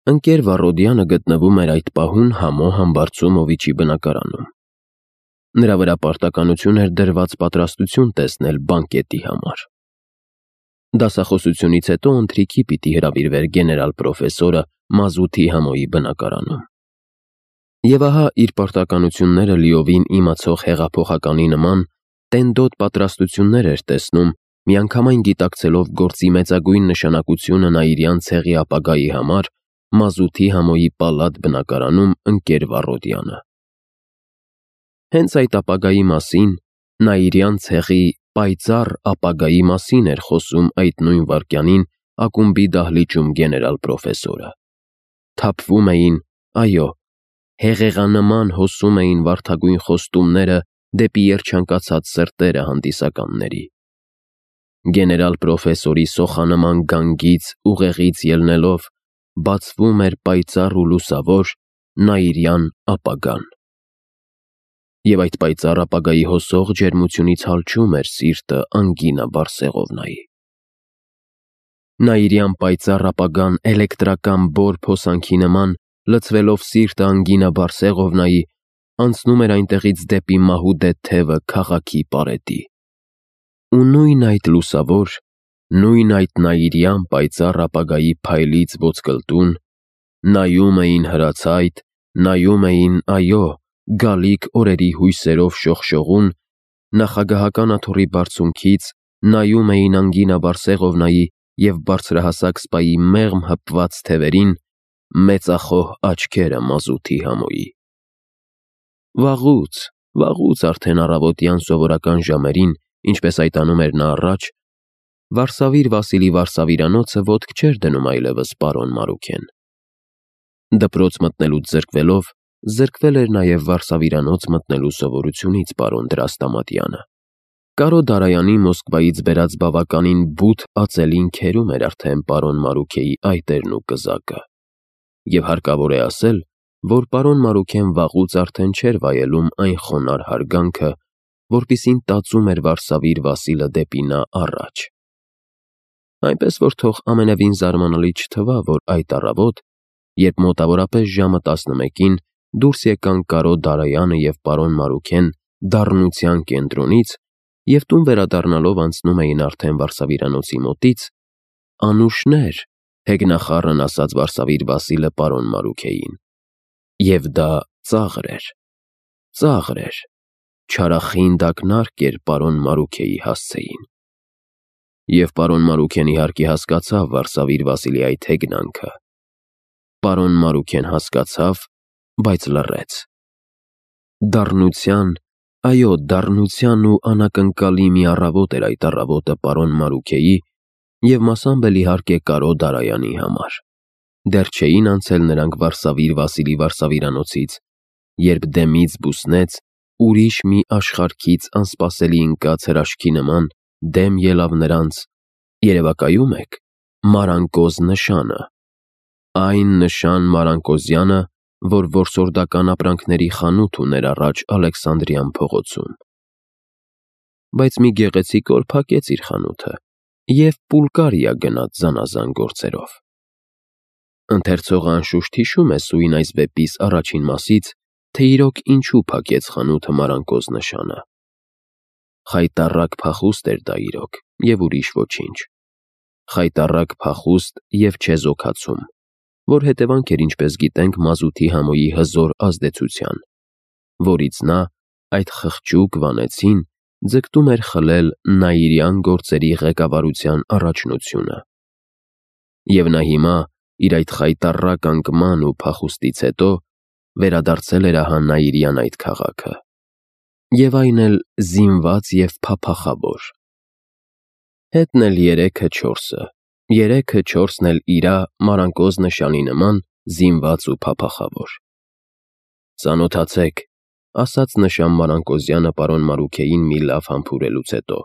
Ընկեր Վառոդյանը գտնվում էր այդ պահուն Համո Համբարձումովիչի բնակարանում։ Նրա վրա պարտականություն էր դրված պատրաստություն տեսնել բանկետի համար։ Դասախոսությունից հետո ընթրիքի պիտի հրավիրվեր գեներալ պրոֆեսորը Մազութի Համոյի բնակարանում։ Եվ ահա իր պարտականությունները լիովին իմացող հեղափոխականի նման տենդոտ պատրաստություններ էր տեսնում, միանգամայն գիտակցելով գործի մեծագույն նշանակությունը Նաիրյան ցեղի ապագայի համար Մազութի Համոյի պալատ բնակարանում ընկեր Վառոդյանը։ Հենց այդ ապագայի մասին, Նաիրյան ցեղի պայծառ ապագայի մասին էր խոսում այդ նույն վայրկյանին ակումբի դահլիճում գեներալ պրոֆեսորը։ Թափվում էին, այո, հեղեղանման հոսում էին վարդագույն խոստումները դեպի երջանկացած սրտերը հանդիսականների։ Գեներալ պրոֆեսորի սոխանման գանգից ուղեղից ելնելով բացվում էր պայծառ ու լուսավոր Նաիրյան ապագան։ Եվ այդ պայծառ ապագայի հոսող ջերմությունից հալչում էր սիրտը Անգինա Բարսեղովնայի։ Նաիրյան պայծառ ապագան էլեկտրական բոր փոսանքի նման լցվելով սիրտը Անգինա Բարսեղովնայի անցնում էր այնտեղից դեպի մահուդե թևը քաղաքի պարետի։ Ու նույն այդ լուսավոր, նույն այդ Նաիրյան պայծառ ապագայի փայլից ոսկլտուն նայում էին հրացայտ, նայում էին, այո, գալիք օրերի հույսերով շողշողուն, նախագահական աթոռի բարձունքից նայում էին Անգինա Բարսեղովնայի և բարձրահասակ սպայի մեղմ հպված թևերին մեծախոհ աչքերը Մազութի Համոյի։ Վաղուց արդեն առավոտյան սովորական ժամերին, ինչպես այտանում էր նա առաջ, Վարսավիր Վասիլի Վարսավիրանոցը ոտք չէր դնում այլևս պարոն Մարուքեն։ Դպրոց մտնելուց զրկվելով, զրկվել էր նաև Վարսավիրանոց մտնելու սովորությունից պարոն Դրաստամատյանը։ Կարո Դարայանի Մոսկվայից բերած բավականին բութ ածելին քերում էր արդեն պարոն Մարուքեի այտերն ու կզակը։ Եվ հարկավոր է ասել, որ պարոն Մարուքեն վաղուց արդեն չէր վայելում այն խոնարհ հարգանքը, որպիսին տածում էր Վարսավիր Վասիլը դեպի նա առաջ։ Այնպես որ թող ամենևին զարմանալի չթվա, որ այդ առավոտ, երբ մոտավորապես ժամը 11-ին դուրս եկան Կարո Դարայանը և պարոն Մարուքեն դառնության կենտրոնից և տուն վերադառնալով անցնում էին արդեն Վարսավիրանոցի մոտից, անուշներ, հեգնախառն ասաց Վարսավիր Վասիլը պարոն Մարուքեին։ Եվ դա ծաղր էր, չարախինդ ակնարկ էր պարոն Մարուքեի հասցեին։ Եվ պարոն Մարուքեն իհարկե հասկացավ Վարսավիր Վասիլի այդ հեգնանքը։ Պարոն Մարուքեն հասկացավ, բայց լռեց։ Դառնության, այո, դառնության ու անակնկալի մի առավոտ էր այդ առավոտը պարոն Մարուքեի և մասամբ էլ իհարկե Կարո Դարայանի համար։ Դեռ չէին անցել նրանք Վարսավիր Վասիլի Վարսավիրանոցից, երբ դեմից բուսնեց ուրիշ մի աշխարհքից անսպասելի ընկած հրաշքի նման դեմ ելավ նրանց, երևակայում եք, Մարանկոզ նշանը, այն նշան Մարանկոզյանը, որ որսորդական ապրանքների խանութ ուներ առաջ Ալեքսանդրյան փողոցում։ Բայց մի գեղեցիկ օր փակեց իր խանութը և Պուլկարիա գնաց զանազան գործերով։ Ընթերցողը անշուշտ հիշում է սույն այս վեպիս առաջին մասից, թե իրոք ինչու փակեց խանութը Մարանկոզ նշանը։ Խայտառակ փախուստ էր դա իրոք և ուրիշ ոչինչ։ Խայտառակ փախուստ և չեզոքացում, որ հետևանք էր, ինչպես գիտենք, Մազութի Համոյի հզոր ազդեցության, որից նա, այդ խղճուկ Վանեցին, ձգտում էր խլել Նաիրյան գործերի ղեկավարության առաջնությունը։ Եվ նա հիմա, իր այդ խայտառակ անկման ու փախուստից հետո, վերադարձել էր ահա Նաիրյան այդ քաղաքը։ Եվ այն էլ զինված և փափախավոր։ Հետն էլ երեքը չորսն էլ իրա Մարանկոզ նշանի նման զինված ու փափախավոր։ Ծանոթացեք, ասաց նշան Մարանկոզյանը պարոն Մարուքեին մի լավ համբուրելուց հետո,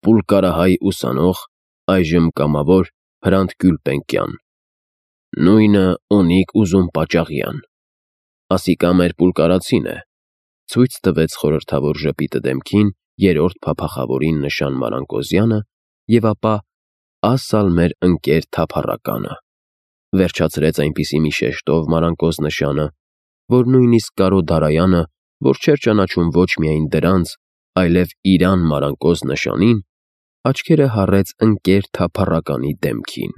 պուլկարահայ ուսանող, այժմ կամավոր Հրանտ Գյուլպենկյան, նույնը Օնիկ Ուզում Պաճաղյան, ասիկա մեր պուլկարացին է, ցույց տվեց խորհրդավոր ժպիտը դեմքին երրորդ փափախավորին նշան Մարանկոզյանը և ապա ասալ մեր ընկեր թափառականը։ Վերջացրեց այնպիսի մի շեշտով Մարանկոս նշանը, որ նույնիսկ Կարո Դարայանը, որ չէր ճանաչում ոչ միայն դրանց, այլև իրան Մարանկոս նշանին, աչքերը հառեց ընկեր թափառականի դեմքին։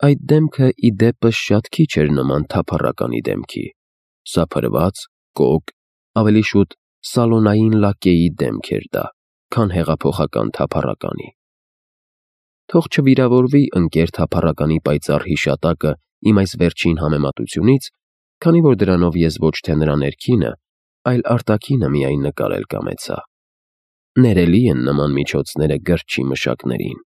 Այդ դեմքը ի դեպս շատ քիչ էր նման թափառականի դեմքի, սափրված, կոկ, ավելի շուտ սալոնային լակեի դեմք էր դա, քան հեղափոխական թափառականի։ Թող չվիրավորվի ընկեր թափառականի պայծառ հիշատակը իմ այս վերջին համեմատությունից, քանի որ դրանով ես ոչ թե նրա ներքինը, այլ արտաքինը միայն նկարել կամեցա։ Ներելի են նման միջոցները գրչի մշակներին,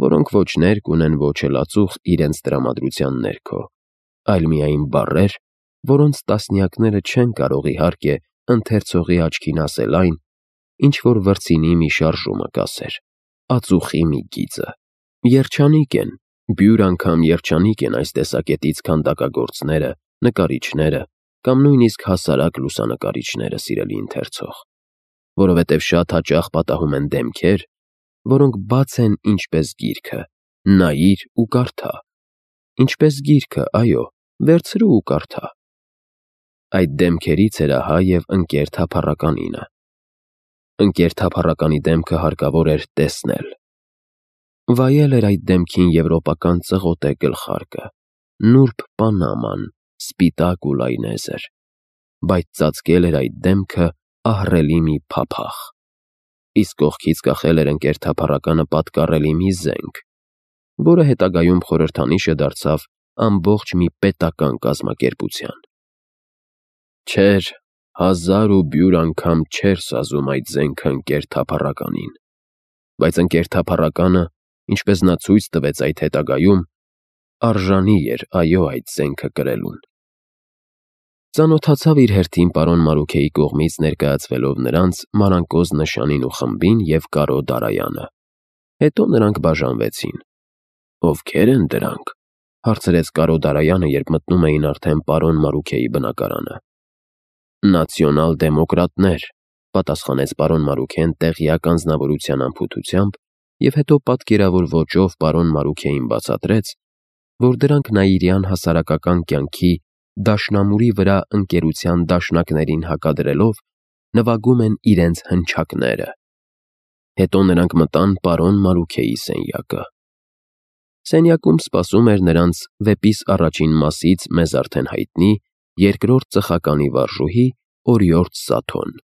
որոնք ոչ ներք ունեն, ոչ էլ ածուխ իրենց տրամադրության ներքո, այլ միայն բառեր, որոնց տասնյակները չեն կարող իհարկե ընթերցողի աչքին ասել այն, ինչ որ վրձինի մի շարժումը կասեր, ածուխի մի գիծը։ Երջանիկ են, բյուր անգամ երջանիկ են այս տեսակետից քանդակագործները, նկարիչները կամ նույնիսկ հասարակ լուսանկարիչները, սիրելի ընթերցող, որովհետև շատ հաճախ պատահում են դեմքեր, որոնք բաց են ինչպես գիրքը, նայիր ու կարդա, ինչպես գիրքը, այո, վերցրու ու կարդա։ Այդ դեմքերից էր ահա և ընկեր թափառականինը։ Ընկեր թափառականի դեմքը հարկավոր էր տեսնել։ Վայել էր այդ դեմքին եվրոպական ծղոտե գլխարկը, նուրբ պանաման, սպիտակ ու լայնեզր, բայց ծածկել էր այդ դեմքը ահռելի մի փափախ, իսկ կողքից կախել էր ընկեր թափառականը պատկառելի մի զենք, որը հետագայում խորհրդանիշը դարձավ ամբողջ մի պետական կազմակերպության։ Չէր, հազար ու բյուր անգամ չէր սազում այդ զենքը ընկեր թափառականին, բայց ընկեր թափառականը, ինչպես նա ցույց տվեց այդ հետագայում, արժանի էր, այո, այդ զենքը կրելուն։ Ծանոթացավ իր հերթին պարոն Մարուքեի կողմից ներկայացվելով նրանց Մարանկոս նշանին ու խմբին և Կարո Դարայանը։ Հետո նրանք բաժանվեցին։ Ովքեր են դրանք, հարցրեց Կարո Դարայանը, երբ մտնում էին արդեն պարոն Մարուքեի բնակարանը։ Նացիոնալ-դեմոկրատներ, պատասխանեց պարոն Մարուքեն տեղյակ անձնավորության անփութությամբ և հետո պատկերավոր ոճով պարոն Մարուքեին բացատրեց, որ դրանք նաիրյան հասարակական կյանքի դաշնամուրի վրա ընկերության դաշնակներին հակադրելով նվագում են իրենց հնչակները։ Հետո նրանք մտան պարոն Մարուքեի սենյակը։ Սենյակում սպասում էր նրանց վեպիս առաջին մասից մեզ արդեն հայտնի երկրորդ ծխականի վարժուհի Օրիորդ Սաթոն։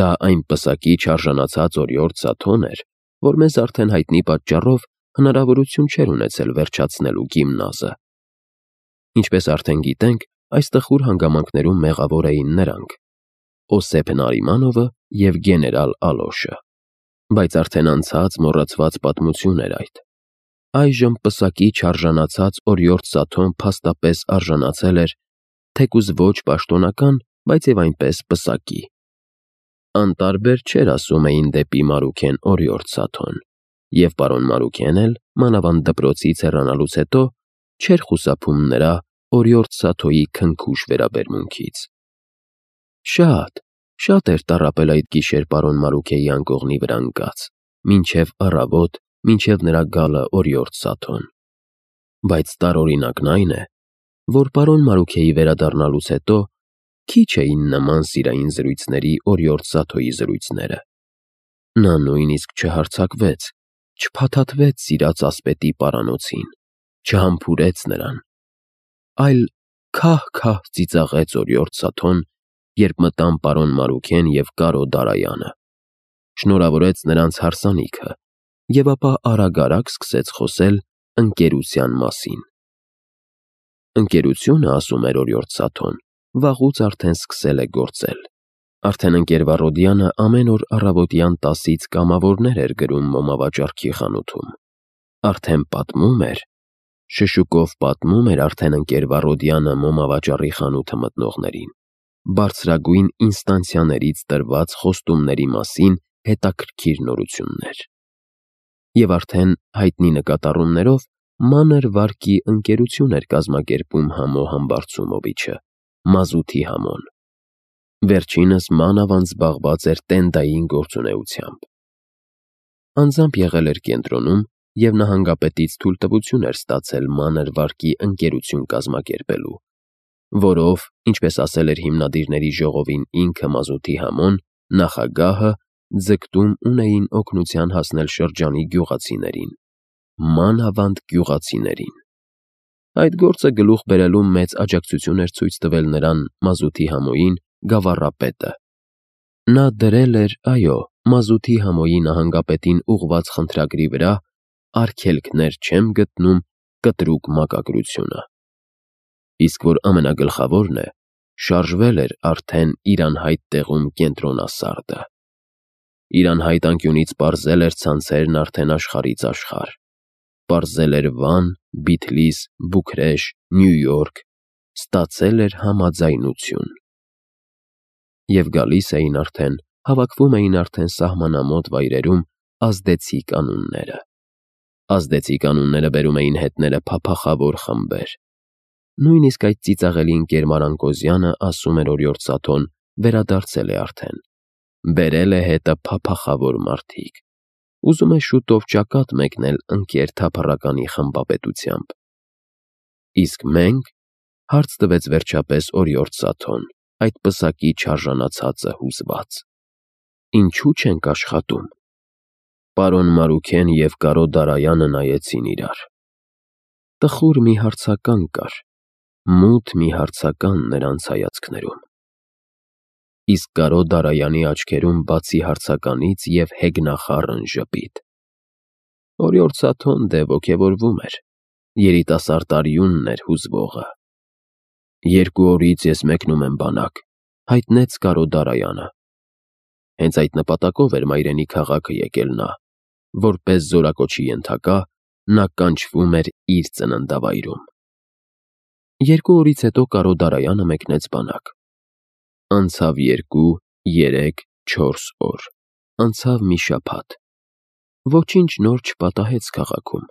Դա այն պսակի չարժանացած Օրիորդ Սաթոն էր, որ մեզ արդեն հայտնի պատճառով հնարավորություն չէր ունեցել վերջացնելու գիմնազը։ Ինչպես արդեն գիտենք, այս տխուր հանգամանքներում մեղավոր էին նրանք՝ Օսեփ Նարիմանովը և գեներալ Ալոշը։ Բայց արդեն անցած մոռացված պատմություն էր այդ։ Այժմ պսակի չարժանացած Օրիորդ Սաթոն փաստապես արժանացել էր, թեկուզ ոչ պաշտոնական, բայց և այնպես պսակի։ Անտարբեր չէր ասում էին դեպի Մարուքեն Օրիորդ Սաթոն, և պարոն Մարուքեն էլ, մանավանդ դպրոցից հեռանալուց հետո, չէր խուսափում նրա Օրիորդ Սաթոյի քնքուշ վերաբերմունքից։ Շատ էր տառապել այդ գիշեր պարոն Մարուքեի անկողնի վրա ընկած, մինչև առավոտ, մինչև նրա գալը Օրիորդ Սաթոն։ Բայց տարօրինակն այն է, որ պարոն Մարուքեի վերադառնալուց հետո քիչ էին նման սիրային զրույցների Օրիորդ Սաթոյի զրույցները։ Նա նույնիսկ չհարձակվեց, չփաթաթվեց սիրած ասպետի պարանոցին, չհամբուրեց նրան, այլ քահ-քահ ծիծաղեց Օրիորդ Սաթոն, երբ մտան պարոն Մարուքեն և Կարո Դարայանը, շնորհավորեց նրանց հարսանիքը և ապա արագ-արագ սկսեց խոսել ընկերության մասին։ Ընկերությունը, ասում էր Օրիորդ Սաթոն, վաղուց արդեն սկսել է գործել։ Արդեն ընկեր Վառոդյանը ամեն օր առավոտյան 10-ից կամավորներ էր գրում մոմավաճառքի խանութում։ Արդեն պատմում էր, շշուկով պատմում էր արդեն ընկեր Վառոդյանը մոմավաճառի խանութը մտնողներին, բարձրագույն ինստանցիաներից տրված խոստումների մասին հետաքրքիր նորություններ։ Եվ արդեն հայտնի նկատառումներով մանր վարկի ընկերություն էր կազմակերպում Համո Համբարձումովիչը, մազութի Համոն։ Վերջինս մանավանդ զբաղված էր տենդային գործունեությամբ։ Անձամբ եղել էր կենտրոնում և նահանգապետից թույլտվություն էր ստացել մանր վարկի ընկերություն կազմակերպելու, որով, ինչպես ասել էր հիմնադիրների ժողովին ինքը Մազութի Համոն, նախագահը, ձգտում ունեին օգնության հասնել շրջանի գյուղացիներին, մանավանդ գյուղացիներին։ Այդ գործը գլուխ բերելու մեծ աջակցություն էր ցույց տվել նրան Մազութի Համոյին գավառապետը։ Նա դրել էր, այո, Մազութի Համոյի նահանգապետին ուղված խնդրագրի վրա «Արգելքներ չեմ գտնում» կտրուկ մակագրությունը։ Իսկ որ ամենագլխավորն է, շարժվել էր արդեն իր անհայտ տեղում կենտրոնասարդը։ Իր անհայտ անկյունից պարզել էր ցանցերն արդեն աշխարհից աշխարհ։ Պարզել էր Վան, Բիթլիս, Բուքրեշտ, Նյու Յորք, ստացել էր համաձայնություն։ Եվ գալիս էին արդեն, հավաքվում էին արդեն սահմանամոտ վայրերում ազդեցիկ անունները։ Ազդեցիկ անունները բերում էին հետները փափախավոր խմբեր։ Նույնիսկ այդ ծիծաղելի ընկեր Մարանկոզյանը, ասում էր Օրիորդ Սաթոն, վերադարձել է արդեն։ Բերել է հետը փափախավոր մարդիկ։ Ուզում է շուտով ճակատ մեկնել ընկեր թափառականի խմբապետությամբ։ Իսկ մենք, հարց տվեց վերջապես Օրիորդ Սաթոն, այդ պսակի չարժանացածը հուզված։ Ինչու չենք աշխատում։ Պարոն Մարուքեն և Կարո Դարայանը նայեցին իրար։ Տխուր մի հարցական կար, մութ մի հարցական նրանց հայացքներում։ Իսկ Կարո Դարայանի աչքերում բացի հարցականից և հեգնախառն ժպիտ։ Օրիորդ Սաթոն դե ոգևորվում էր, երիտասարդ արյունն էր հուզվողը։ 2 օրից ես մեկնում եմ բանակ, հայտնեց Կարո Դարայանը։ Հենց այդ նպատակով էր Մայրենի քաղաքը եկել նա, որպես զորակոչի ենթակա, նա կանչվում էր իր ծննդավայրում։ 2 օրից հետո Կարո Դարայանը մեկնեց բանակ։ Անցավ 2, 3, 4 օր, անցավ մի շաբաթ։ Ոչինչ նոր չպատահեց քաղաքում,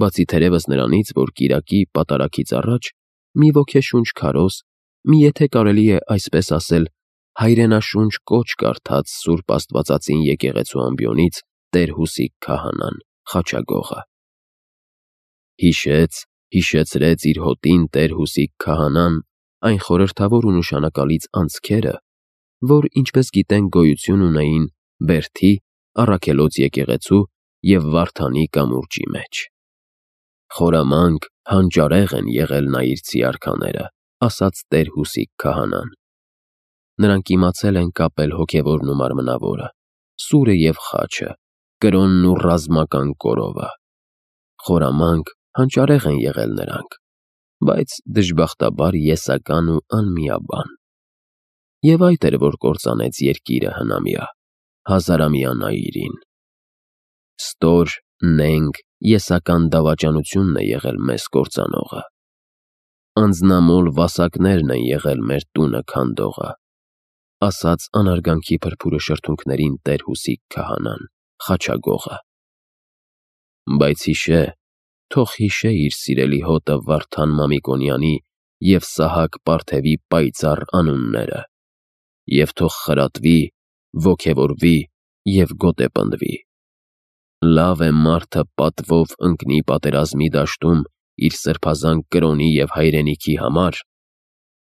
բացի թերևս նրանից, որ կիրակի պատարագից առաջ մի ոգեշունչ քարոզ, մի եթե կարելի է այսպես ասել, հայրենաշունչ կոչ կարդաց Սուրբ Աստվածածին եկեղեցու ամբիոնից Տեր Հուսիկ քահանան, Խաչագողը։ Հիշեցրեց իր հոտին Տեր Հուսիկ քահանան այն խորհրդավոր ու նշանակալից անցքերը, որ, ինչպես գիտենք, գոյություն ունեին Բերդի, Առաքելոց եկեղեցու և Վարդանի կամուրջի մեջ։ Խորամանկ, հանճարեղ են եղել նայիրցի արքաները, ասաց Տեր Հուսիկ քահանան։ Նրանք իմացել են կապել հոգևորն ու մարմնավորը, սուրը և խաչը, կրոնն ու ռազմական կորովը։ Խորամանկ, հանճարեղ են եղել նրանք, բայց դժբախտաբար եսական ու անմիաբան։ Եվ այդ էր, որ կործանեց երկիրը հնամյա, հազարամյա նայիրին։ Ստոր, նենգ, եսական դավաճանությունն է եղել մեզ կործանողը։ Անձնամոլ վասակներն են եղել մեր տունը քանդողը, ասաց անարգանքի փրփուրը շրթունքներին Տեր Հուսիկ քահանան, Խաչագողը։ Բայց թող հիշե իր սիրելի հոտը Վարդան Մամիկոնյանի և Սահակ Պարթևի պայծառ անունները, և թող խրատվի, ոգևորվի և գոտեպնդվի։ Լավ է մարդը պատվով ընկնի պատերազմի դաշտում իր սրբազան կրոնի և հայրենիքի համար,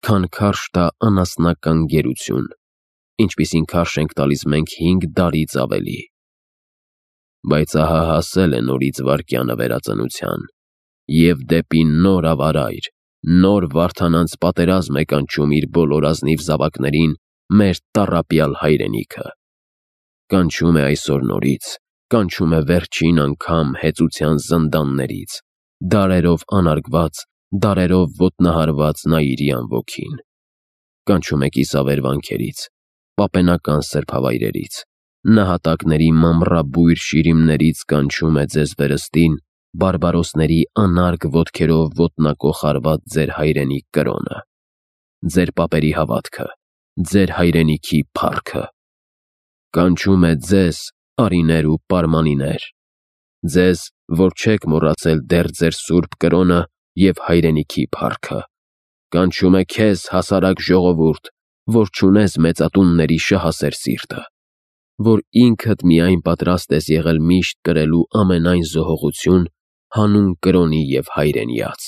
քան քարշ տա անասնական գերություն, ինչպիսին քարշ ենք տալիս մենք 5 դարից ավելի։ Բայց ահա հասել է նորից վայրկյանը վերածնության, և դեպի նոր ավարայր, նոր վարդանանց պատերազմ է կանչում իր բոլոր ազնիվ զավակներին մեր տառապյալ հայրենիքը։ Կանչում է այսօր նորից, կանչում է վերջին անգամ հեծության զնդաններից, դարերով անարգված, դարերով ոտնահարված նայիրյան ոգին։ Կանչում է կիսավեր վանքերից, պապենական սրբավայրերից, նահատակների մամռաբույր շիրիմներից կանչում է ձեզ վերստին բարբարոսների անարգ ոտքերով ոտնակոխարված ձեր հայրենի կրոնը, ձեր պապերի հավատքը, ձեր հայրենիքի փառքը։ Կանչում է ձեզ, արիներ ու պարմանիներ, ձեզ, որ չեք մոռացել դեռ ձեր սուրբ կրոնը և հայրենիքի փառքը։ Կանչում է քեզ, հասարակ ժողովուրդ, որ չունես մեծատունների շահասեր սիրտը, որ ինքդ միայն պատրաստ ես եղել միշտ կրելու ամենայն զոհողություն հանուն կրոնի և հայրենիաց։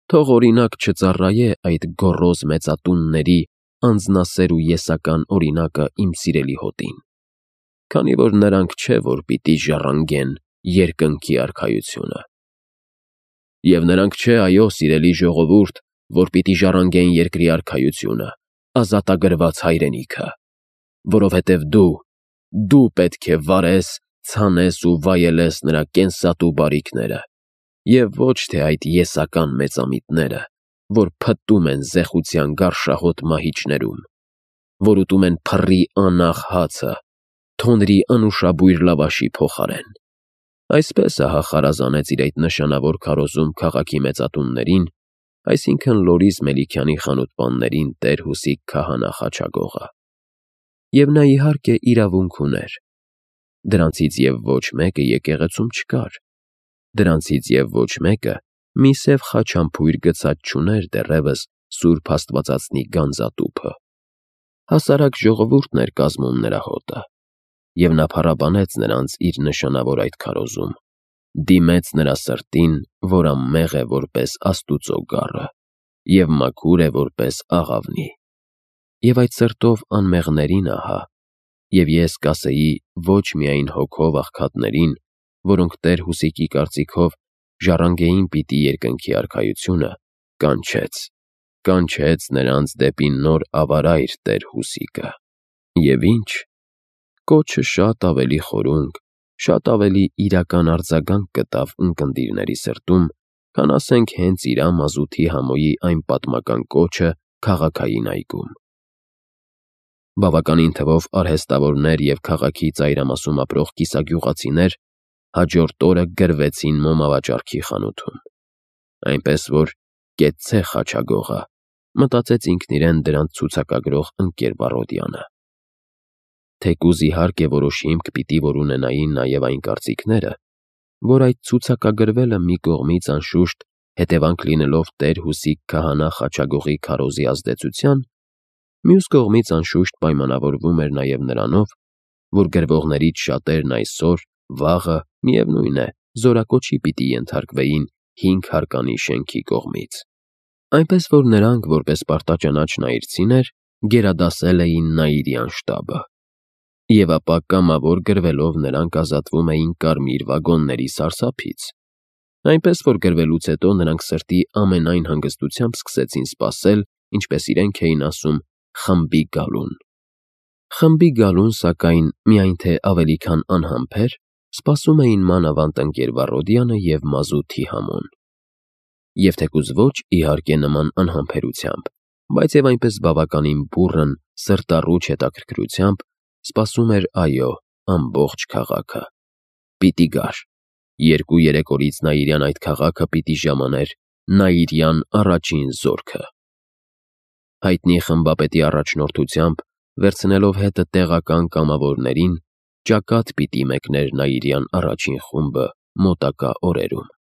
Թող օրինակ չծառայե այդ գոռոզ մեծատունների անձնասեր ու եսական օրինակը իմ սիրելի հոտին, քանի որ նրանք չէ, որ պիտի ժառանգեն երկնքի արքայությունը։ Եվ նրանք չէ, այո, սիրելի ժողովուրդ, որ պիտի ժառանգեն երկրի արքայությունը, ազատագրված հայրենիքը, որովհետև դու պետք է վարես, ցանես ու վայելես նրա կենսատու բարիքները, և ոչ թե այդ եսական մեծամիտները, որ փտտում են զեխության գարշահոտ մահիճներում, որ ուտում են փռի անաղ հացը, թոնրի անուշաբույր լավաշի փոխարեն։ Այսպես խարազանեց իր այդ նշանավոր քարոզում քաղաքի մեծատուններին, այսինքն Լորիս Մելիքյանի խանութպաններին տեր Հուսիկ քահանա խաչագողը։ Եվ նա իհարկե իրավունք ուներ։ Դրանցից և ոչ մեկը եկեղեցում չկար։ Դրանցից և ոչ մեկը մի սև խաչամփույր գցած չուներ դեռևս Սուրբ Աստվածածնի գանձատուփը։ Հասարակ ժողովուրդն էր կազմում նրա հոտը, և նա փառաբանեց նրանց իր նշանավոր այդ քարոզում, դիմեց նրա սրտին, որ անմեղ է որպես Աստուծո գառը, և մաքուր է որպես աղավնի։ Եվ այդ սրտով անմեղներին ահա, և ես կասեի ոչ միայն հոգով աղքատներին, որոնք տեր Հուսիկի կարծիքով ժառանգեին պիտի երկնքի արքայությունը, կանչեց նրանց դեպի նոր ավարայր տեր Հուսիկը։ Եվ ինչ, կոչը շատ ավելի խորունկ, շատ ավելի իրական արձագանք գտավ ունկնդիրների սրտում, քան ասենք հենց իրա մազութի համոյի այն պատմական կոչը քաղաքային այգում։ Բավականին թվով արհեստավորներ և քաղաքի ծայրամասում ապրող կիսագյուղացիներ հաջորդ օրը գրվեցին մոմավաճառքի խանութում։ Այնպես որ կեցցե խաչագողը, մտածեց ինքն իրեն դրանց ցուցակագրող ընկեր Վառոդյանը։ Թեկուզ իհարկե որոշ հիմք պիտի որ ունենային նաև այն կարծիքները, որ այդ ցուցակագրվելը մի կողմից անշուշտ հետևանք լինելով տեր Հուսիկ քահանա խաչագողի քարոզի ազդեցության, մյուս կողմից անշուշտ պայմանավորվում էր նաև նրանով, որ գրվողներից շատերն այսօր, վաղը, միևնույն է, զորակոչի պիտի ենթարկվեին 5 հարկանի շենքի կողմից։ Այնպես որ նրանք, որպես պարտաճանաչ նայիրցիներ, գերադասել էին Նայիրյան շտաբը։ Եվ ապա կամավոր գրվելով նրանք ազատվում էին կարմիր վագոնների սարսափից։ Այնպես որ գրվելուց հետո նրանք սրտի ամենայն հանգստությամբ սկսեցին սպասել, ինչպես իրենք էին ասում, խմբի գալուն։ Խմբի գալուն, սակայն, միայն թե ավելի քան անհամբեր, սպասում էին մանավանդ ընկեր Վառոդյանը և մազութի համոն։ Եվ թեկուզ ոչ իհարկե նման անհամբերությամբ, բայց և այնպես բավականին բուռն, սրտառուչ հետաքրքրությամբ սպասում էր, այո, ամբողջ քաղաքը։ Պիտի գար։ 2-3 օրից Նայիրյան այդ քաղաքը պիտի ժամաներ Նայիրյան առաջին զորքը։ Հայտնի խմբապետի առաջնորդությամբ, վերցնելով հետը տեղական կամավորներին, ճակատ պիտի մեկներ Նայիրյան առաջին խումբը մոտակա օրերում։